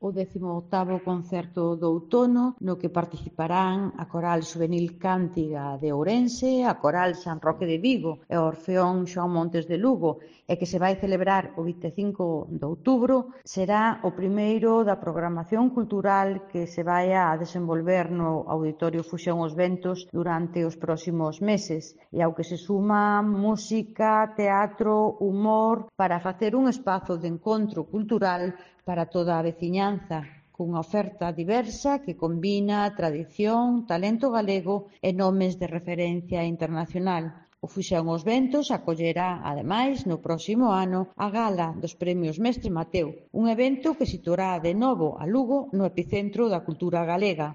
o 18º concerto do outono no que participarán a Coral Xuvenil Cántiga de Ourense, a Coral San Roque de Vigo e o Orfeón Xoán Montes de Lugo, e que se vai celebrar o 25 de outubro. Será o primeiro da programación cultural que se vai a desenvolver no Auditorio Fusión Os Ventos durante os próximos meses, e ao que se suma música, teatro, humor, para facer un espazo de encontro cultural para toda a veciñanza, cunha oferta diversa que combina tradición, talento galego e nomes de referencia internacional. O Fusión Os Ventos acollerá, ademais, no próximo ano, a Gala dos Premios Mestre Mateo, un evento que situará de novo a Lugo no epicentro da cultura galega.